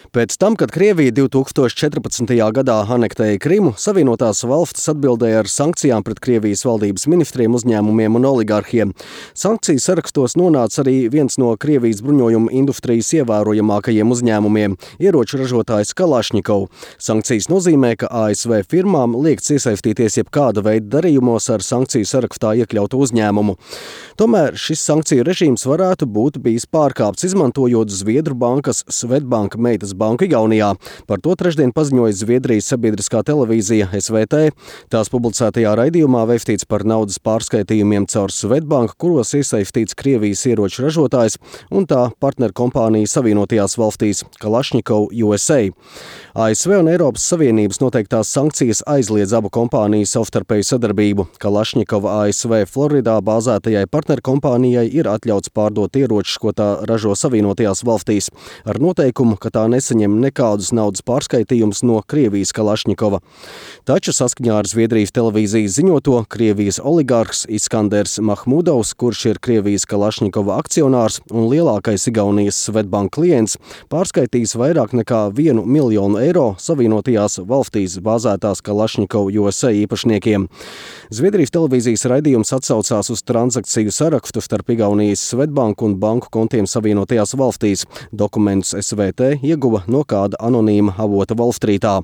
Pēc tam, kad Krievija 2014. gadā anektēja Krimu, Savienotās valstis atbildēja ar sankcijām pret Krievijas valdības ministriem, uzņēmumiem un oligarhiem. Sankciju sarakstos nonāca arī viens no Krievijas bruņojuma industrijas ievērojamākajiem uzņēmumiem – ieroču ražotājs Kalašņikov. Sankcijas nozīmē, ka ASV firmām liekts iesaistīties jebkāda veida darījumos ar sankciju sarakstā iekļautu uzņēmumu. Tomēr šis sankciju režīms varētu būt bijis pārkāpts, izmantojot Zviedru bankas Swedbank meitas banku Igaunijā. Par to trešdien paziņoja Zviedrijas sabiedriskā televīzija SVT. Tās publicētajā raidījumā veikts par naudas pārskaitījumiem caur Swedbank, kuros iesaistīts Krievijas ieroču ražotājs un tā partnerkompānija Savienotajās valstīs Kalašņikov USA. ASV un Eiropas Savienības noteiktās sankcijas aizliedz abu kompāniju savstarpēju sadarbību. Kalašņikova ASV Floridā bāzētajai partnerkompānijai ir atļauts pārdot ieročus, ko tā ražo Savienotajās valstīs, ar noteikumu, ka tā nesaņem nekādus naudas pārskaitījumus no Krievijas Kalašņikova. Taču saskaņā ar Zviedrijas televīzijas ziņoto, Krievijas oligārhs Iskanders Mahmudovs, kurš ir Krievijas Kalašņikova akcionārs un lielākais Igaunijas Swedbank klients, pārskaitīs vairāk nekā 1 miljonu eiro Savienotajās valstīs bāzētās Kalašņikov USA īpašniekiem. Zviedrijas televīzijas raidījums atsaucās uz transakciju sarakstu starp Igaunijas Swedbank un banku kontiem Savienotajās valstīs. Dokumentus SVT ieguva no kāda anonīma avota Wallstreetā.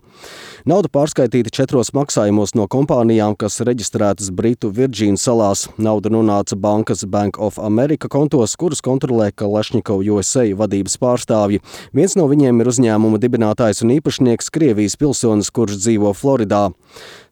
Nauda pārskaitīta 4 maksājumos no kompānijām, kas reģistrētas Britu Virģīnu salās. Nauda nonāca bankas Bank of America kontos, kurus kontrolē Kalašņikov USA vadības pārstāvji. Viens no viņiem ir uzņēmuma dibinātājs un īpašnieks Krievijas pilsonis, kurš dzīvo Floridā.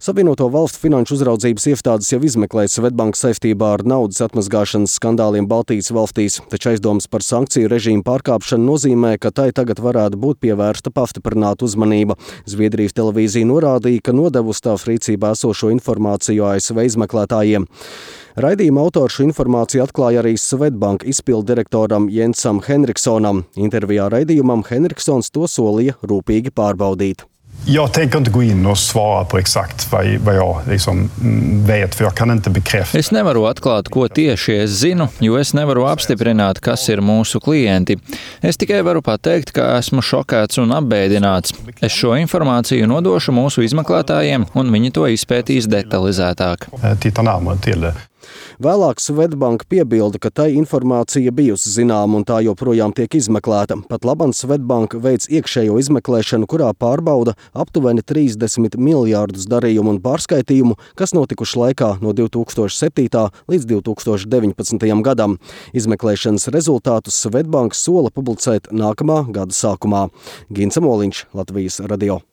Savienoto valstu finanšu uzraudzības iestādes jau izmeklē Swedbank saistībā ar naudas atmazgāšanas skandāliem Baltijas valstīs, taču aizdomas par sankciju režīmu pārkāpšanu nozīmē, ka tai tagad varētu būt pievērsta pastiprināta uzmanība. Zviedrijas televīzija norādīja, ka nodevusi tās rīcībā esošo informāciju ASV izmeklētājiem. Raidījuma autors šo informāciju atklāja arī Swedbank izpilddirektoram Jensam Henriksonam. Intervijā raidījumam Henriksons to solīja rūpīgi pārbaudīt. Jag tänker inte gå in och svara på exakt vad jag vet, för jag kan inte bekräfta. Es nevaru atklāt, ko tieši es zinu, jo es nevaru apstiprināt, kas ir mūsu klienti. Es tikai varu pateikt, ka esmu šokēts un apbēdināts. Es šo informāciju nodošu mūsu izmeklētājiem, un viņi to izpētīs detalizētāk. Titta närmare till det. Vēlāk Swedbank piebilda, ka tai informācija bijusi zināma un tā joprojām tiek izmeklēta. Pat labam Swedbank veic iekšējo izmeklēšanu, kurā pārbauda aptuveni 30 miljārdus darījumu un pārskaitījumu, kas notikuši laikā no 2007. līdz 2019. gadam. Izmeklēšanas rezultātus Swedbank sola publicēt nākamā gada sākumā. Gints Moliņš, Latvijas radio.